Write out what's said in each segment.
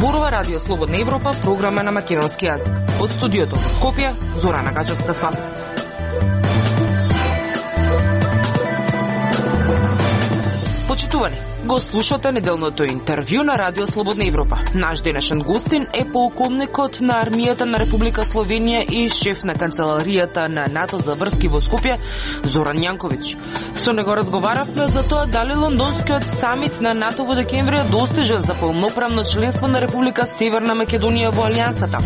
Зборува Радио Слободна Европа, програма на македонски јазик. Од студиото во Скопје, Зорана Гачевска-Спасовска. Почитувани, го слушате неделното интервју на Радио Слободна Европа. Наш денешен гостин е полковникот на армијата на Република Словенија и шеф на канцеларијата на НАТО за врски во Скопје, Зоран Јанковиќ. Со него разговаравме за тоа дали лондонскиот самит на НАТО во декември достижа за полноправно членство на Република Северна Македонија во Алијансата.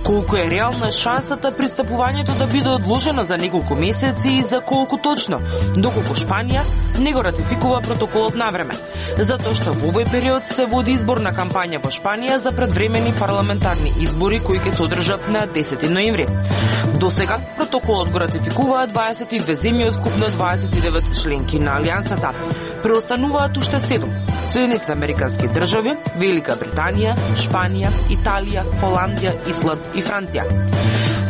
Колку е реална шансата пристапувањето да биде одложено за неколку месеци и за колку точно, доколку Шпанија не го ратификува протоколот на време. Затоа што во овој период се води изборна кампања во Шпанија за предвремени парламентарни избори кои ќе се одржат на 10 ноември. До сега протоколот го ратификуваат 22 земји од скупно 29 членки на Алијансата. Преостануваат уште 7: Соединетите американски држави, Велика Британија, Шпанија, Италија, Холандија, Исланд и Франција.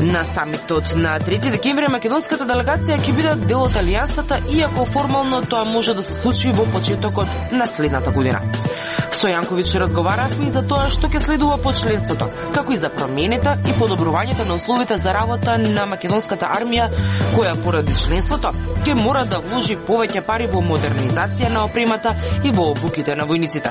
На самитот на 3 декември македонската делегација ќе биде дел од Алијансата, иако формално тоа може да се случи во почетокот на следната година. Со Јанковиќ разговаравме и за тоа што ќе следува по членството, како и за промените и подобрувањето на условите за работа на македонската армија, која поради членството ќе мора да вложи повеќе пари во модернизација на опремата и во обуките на војниците.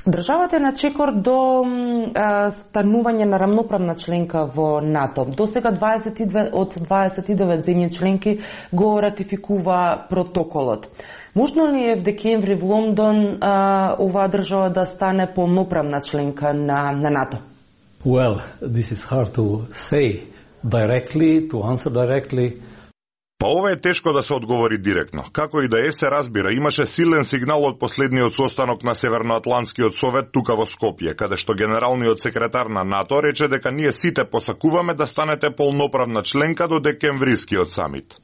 Државата е на чекор до станување на рамноправна членка во НАТО. До сега 22 од 29 земји членки го ратификува протоколот. Можно ли е в декември во Лондон оваа држава да стане полноправна членка на НАТО? Well, this is hard to say directly, to answer directly. Па ова е тешко да се одговори директно. Како и да е, се разбира, имаше силен сигнал од последниот состанок на Северноатлантскиот совет тука во Скопје, каде што генералниот секретар на НАТО рече дека ние сите посакуваме да станете полноправна членка до декемврискиот самит.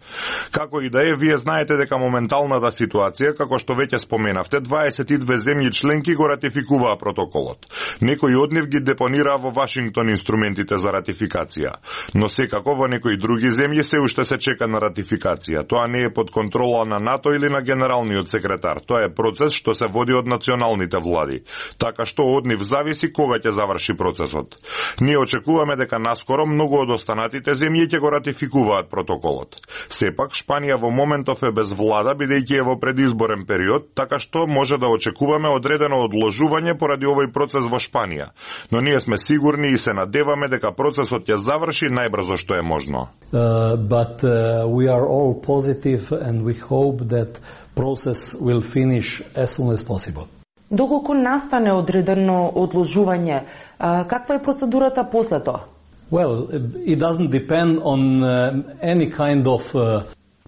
Како и да е, вие знаете дека моменталната ситуација, како што веќе споменавте, 22 земји членки го ратификуваа протоколот. Некои од нив ги депонираа во Вашингтон инструментите за ратификација, но секако во некои други земји се уште се чека на ратификација. Тоа не е под контрола на НАТО или на генералниот секретар. Тоа е процес што се води од националните влади. Така што од нив зависи кога ќе заврши процесот. Ние очекуваме дека наскоро многу од останатите земји ќе го ратификуваат протоколот. Сепак Шпанија во моментов е без влада, бидејќи е во предизборен период, така што може да очекуваме одредено одложување поради овој процес во Шпанија. Но ние сме сигурни и се надеваме дека процесот ќе заврши најбрзо што е можно. We are all positive and we hope that process will finish as soon as possible. Доколку настане одредено одложување, каква е процедурата после тоа? Well, it doesn't depend on any kind of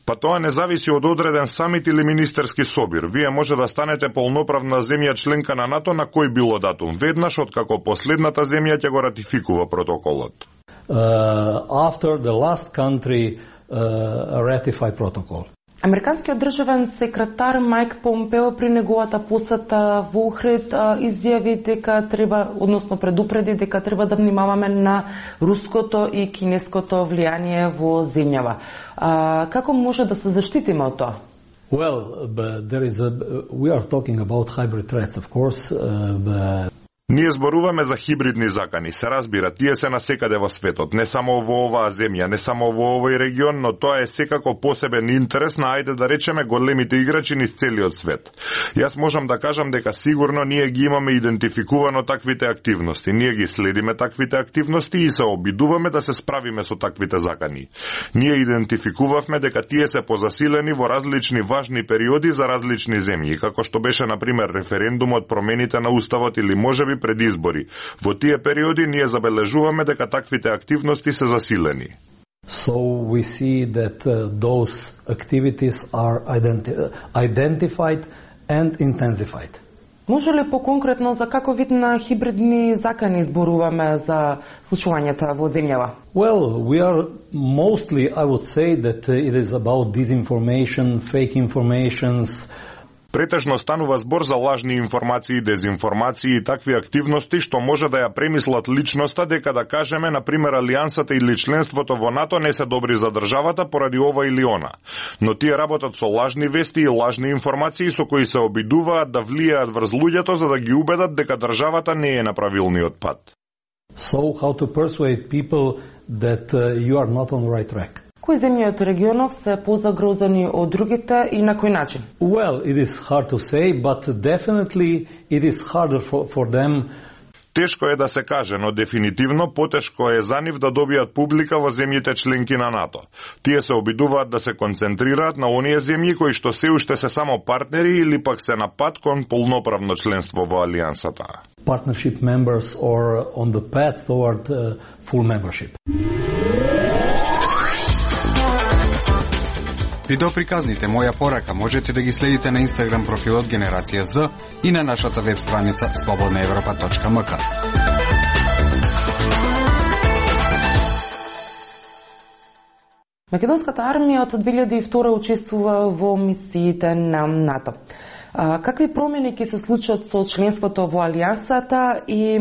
Па тоа не зависи од одреден самит или министерски собир. Вие може да станете полноправна земја членка на НАТО на кој било датум, веднаш откако последната земја ќе го ратификува протоколот. After the last country ratify protocol. Американскиот државен секретар Майк Помпео при неговата посета во Охрид изјави дека треба, односно предупреди дека треба да внимаваме на руското и кинеското влијание во земјава. Како може да се заштитиме од тоа? Well, we are talking about hybrid threats, of course, Ние зборуваме за хибридни закани. Се разбира, тие се насекаде во светот, не само во оваа земја, не само во овој регион, но тоа е секако посебен интерес на, ајде да речеме, големите играчи низ целиот свет. Јас можам да кажам дека сигурно ние ги имаме идентификувано таквите активности. Ние ги следиме таквите активности и се обидуваме да се справиме со таквите закани. Ние идентификувавме дека тие се позасилени во различни важни периоди за различни земји, како што беше, например, референдумот, промените на уставот или можеби пред избори. Во тие периоди ние забележуваме дека таквите активности се засилени. So we see that those activities are identified and intensified. Може ли поконкретно за каков вид на хибридни закани зборуваме за случувањата во земјава? Well, we are mostly, I would say that it is about disinformation, fake informations. Претежно станува збор за лажни информации, дезинформации и такви активности што може да ја премислат личноста дека да кажеме, на пример, алијансата или членството во НАТО не се добри за државата поради ова или она. Но тие работат со лажни вести и лажни информации со кои се обидуваат да влијаат врз луѓето за да ги убедат дека државата не е на правилниот пат. So how to persuade people that you are not on the right track? Кои земји од регионов се позагрозени од другите и на кој начин? Well, it is hard to say, but definitely it is harder for them. Тешко е да се каже, но дефинитивно потешко е за нив да добијат публика во земјите членки на НАТО. Тие се обидуваат да се концентрираат на оние земји кои што се уште се само партнери или пак се на пат кон полноправно членство во алијансата. Partnership members or on the path toward full membership. Видеоприказните Моја порака можете да ги следите на Инстаграм профилот Генерација З и на нашата веб страница slobodnaevropa.mk. Македонската армија од 2002 учествува во мисиите на НАТО. Какви промени ќе се случат со членството во алијансата и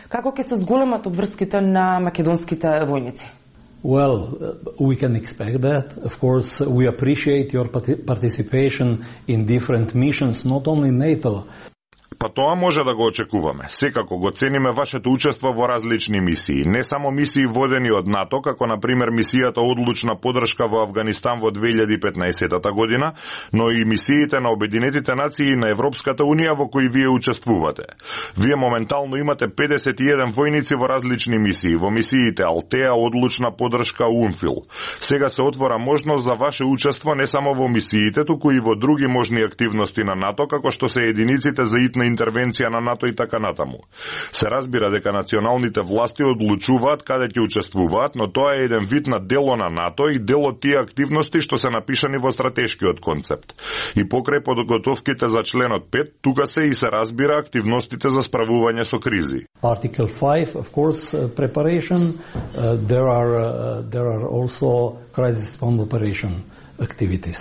како ќе се зголемат обврските на македонските војници? Well, we can expect that. Of course, we appreciate your participation in different missions, not only NATO. Па тоа може да го очекуваме. Секако го цениме вашето учество во различни мисии. Не само мисии водени од НАТО, како на пример мисијата одлучна поддршка во Авганистан во 2015 година, но и мисиите на Обединетите нации и на Европската унија во кои вие учествувате. Вие моментално имате 51 војници во различни мисии, во мисиите Алтеа, одлучна поддршка, УНФИЛ. Сега се отвора можност за ваше учество не само во мисиите, туку и во други можни активности на НАТО, како што се единиците за итна интервенција на НАТО и така натаму. Се разбира дека националните власти одлучуваат каде ќе учествуваат, но тоа е еден вид на дело на НАТО и дел од тие активности што се напишани во стратешкиот концепт. И покрај подготовките за членот 5, тука се и се разбира активностите за справување со кризи. Article 5, of course, preparation. There are also crisis response operation activities.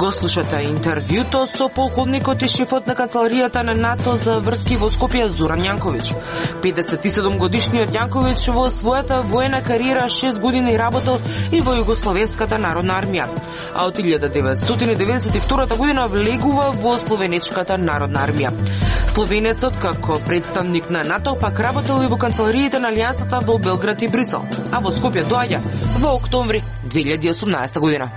Го слушате интервјуто со полковникот и шефот на канцеларијата на НАТО за врски во Скопје Зоран Јанковиќ. 57-годишниот Јанковиќ во својата воена кариера 6 години работел и во Југословенската народна армија, а од 1992 година влегува во Словенечката народна армија. Словенецот како представник на НАТО пак работел и во канцелариите на Алијансата во Белград и Брисел, а во Скопје доаѓа во октомври 2018 година.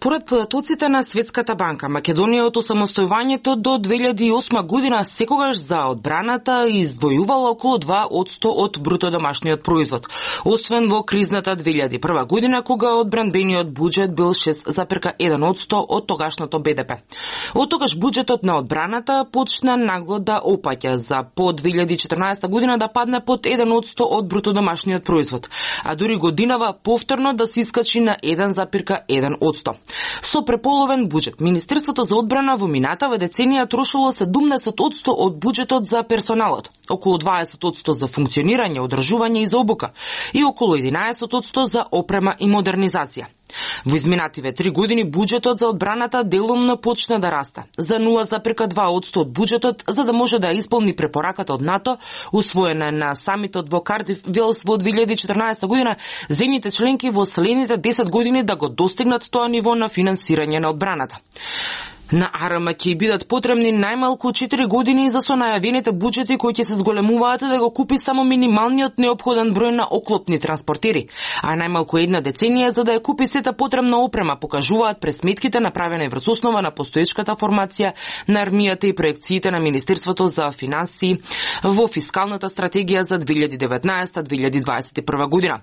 Според податоците на Светската банка, Македонија од осамостојувањето до 2008 година секогаш за одбраната издвојувала околу 2% од брутодомашниот производ, освен во кризната 2001 година, кога одбранбениот буџет бил 6,1% од тогашното БДП. Од тогаш буџетот на одбраната почна нагло да опаќа, за по 2014 година да падне под 1% од брутодомашниот производ, а дури годинава повторно да се искачи на 1,1%. Со преполовен буџет, Министерството за одбрана во минатава деценија трошило 70% од буџетот за персоналот, околу 20% за функционирање, одржување и за обука и околу 11% за опрема и модернизација. Во изминативе 3 години буџетот за одбраната делумно почна да расте за 0,2% од буџетот, за да може да исполни препораката од НАТО усвоена на самитот во Кардиф Велс во 2014 година, земјите членки во следните 10 години да го достигнат тоа ниво на финансирање на одбраната. На АРМ ќе бидат потребни најмалку 4 години за со најавените буџети кои ќе се зголемуваат да го купи само минималниот неопходен број на оклопни транспортери, а најмалку една деценија за да ја купи сета потребна опрема, покажуваат пресметките направени врз основа на постоечката формација на армијата и проекциите на Министерството за финансии во фискалната стратегија за 2019-2021 година.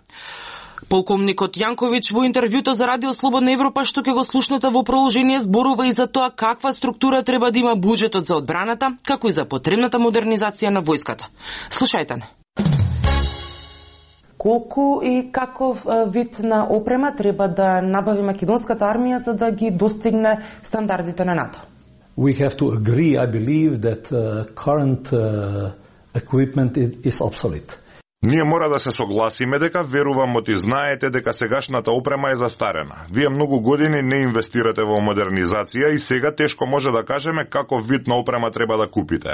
Полковникот Јанковиќ во интервјуто за Радио Слободна Европа, што ќе го слушнете во продолжение, зборува и за тоа каква структура треба да има буџетот за одбраната, како и за потребната модернизација на војската. Слушајте не. Колку и каков вид на опрема треба да набави македонската армија за да ги достигне стандардите на НАТО? We have to agree, I believe, that current equipment is obsolete. Ние мора да се согласиме дека верувам оти знаете дека сегашната опрема е застарена. Вие многу години не инвестирате во модернизација и сега тешко може да кажеме каков вид на опрема треба да купите.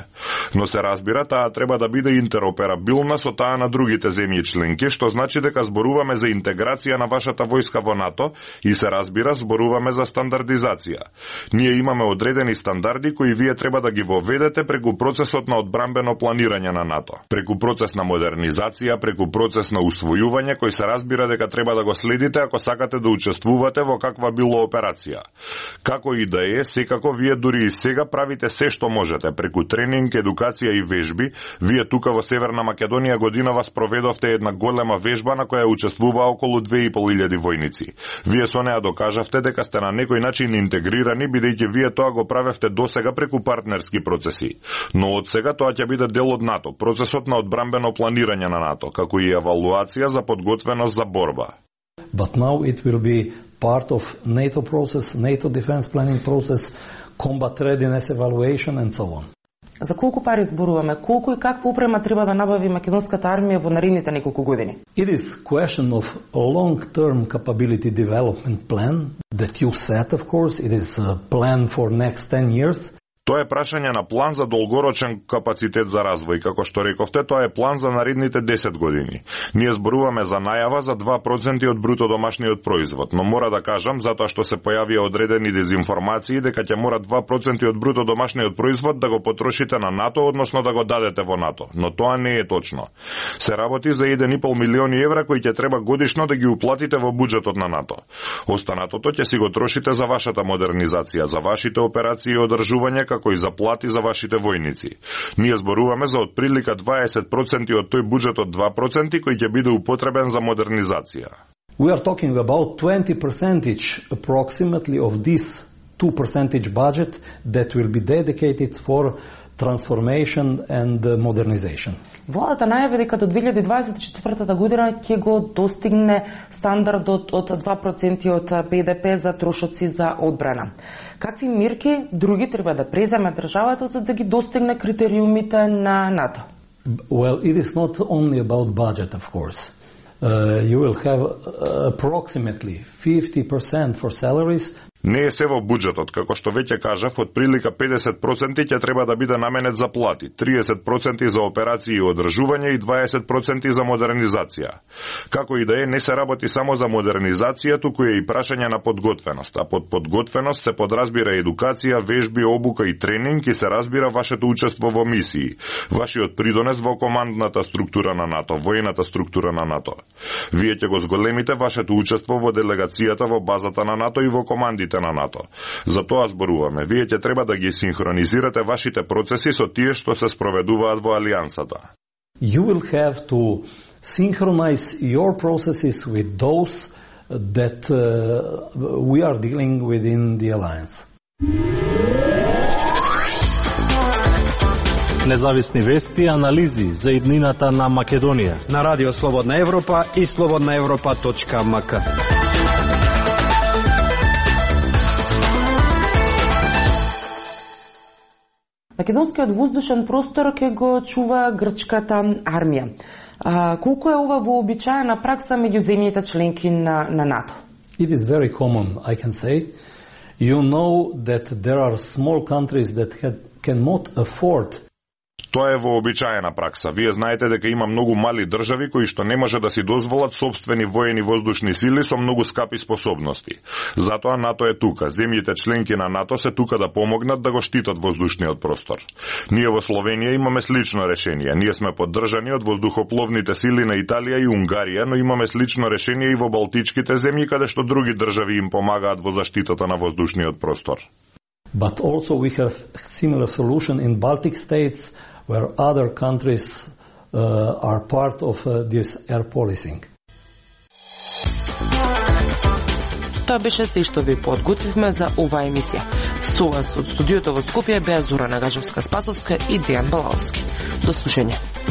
Но се разбира, таа треба да биде интероперабилна со таа на другите земји членки, што значи дека зборуваме за интеграција на вашата војска во НАТО и се разбира, зборуваме за стандардизација. Ние имаме одредени стандарди кои вие треба да ги воведете преку процесот на одбрамбено планирање на НАТО. Преку процес на модернизација, преку процес на усвојување кој се разбира дека треба да го следите ако сакате да учествувате во каква било операција. Како и да е, секако вие дури и сега правите се што можете преку тренинг, едукација и вежби. Вие тука во Северна Македонија годинава спроведовте една голема вежба на која учествуваа околу 2500 војници. Вие со неа докажавте дека сте на некој начин интегрирани, бидејќи вие тоа го правевте досега преку партнерски процеси. Но од сега тоа ќе биде дел од НАТО, процесот на одбрамбено планирање на НАТО, како и евалуација за подготвеност за борба. But now it will be part of NATO process, NATO defense planning process, combat readiness evaluation and so on. За колку пари зборуваме? Колку и каква опрема треба да набави македонската армија во наредните неколку години? It is question of a long-term capability development plan that you set, of course. It is a plan for next 10 years. Тоа е прашање на план за долгорочен капацитет за развој. Како што рековте, тоа е план за наредните 10 години. Ние зборуваме за најава за 2% од бруто домашниот производ, но мора да кажам, затоа што се појавија одредени дезинформации, дека ќе мора 2% од бруто домашниот производ да го потрошите на НАТО, односно да го дадете во НАТО. Но тоа не е точно. Се работи за 1,5 милиони евра кои ќе треба годишно да ги уплатите во буџетот на НАТО. Останатото ќе си го трошите за вашата модернизација, за вашите операции и одржување, како и заплати за вашите војници. Ние зборуваме за отприлика 20% од тој буџет од 2% кој ќе биде употребен за модернизација. We are talking about 20% approximately of this 2% budget that will be dedicated for transformation and modernization. Владата најави дека до 2024 година ќе го достигне стандардот од 2% од БДП за трошоци за одбрана. Какви мерки други треба да преземе државата за да ги достигне критериумите на НАТО? Well, it is not only about budget, of course. You will have approximately 50% for salaries. Не е се во буџетот, како што веќе кажав, од прилика 50% ќе треба да биде наменет за плати, 30% за операции и одржување и 20% за модернизација. Како и да е, не се работи само за модернизација, туку е и прашање на подготвеност, а под подготвеност се подразбира едукација, вежби, обука и тренинг и се разбира вашето учество во мисии, вашиот придонес во командната структура на НАТО, војната структура на НАТО. Вие ќе го зголемите вашето учество во делегацијата во базата на НАТО и во командите на НАТО. За тоа зборуваме. Вие ќе треба да ги синхронизирате вашите процеси со тие што се спроведуваат во алијансата. You will have to synchronize your processes with those that we are dealing within the alliance. Независни вести и анализи за иднината на Македонија на Радио Слободна Европа и slobodnaevropa.mk. Македонскиот воздушен простор ќе го чува грчката армија. Колку е ова вообичаена пракса меѓу земјите членки на НАТО? It is very common, I can say. You know that there are small countries that cannot afford. Тоа е вообичаена пракса. Вие знаете дека има многу мали држави кои што не може да си дозволат собствени воени воздушни сили со многу скапи способности. Затоа НАТО е тука. Земјите членки на НАТО се тука да помогнат да го штитат воздушниот простор. Ние во Словенија имаме слично решение. Ние сме поддржани од воздухопловните сили на Италија и Унгарија, но имаме слично решение и во Балтичките земји, каде што други држави им помагаат во заштитата на воздушниот простор. But also we have similar solution in Baltic states, where other countries are part of this air policing. Тоа беше се што ви подготвивме за оваа емисија. Со вас од студиото во Скопје беа Зора Нагажевска-Спасовска и Дејан Балаовски. До слушање.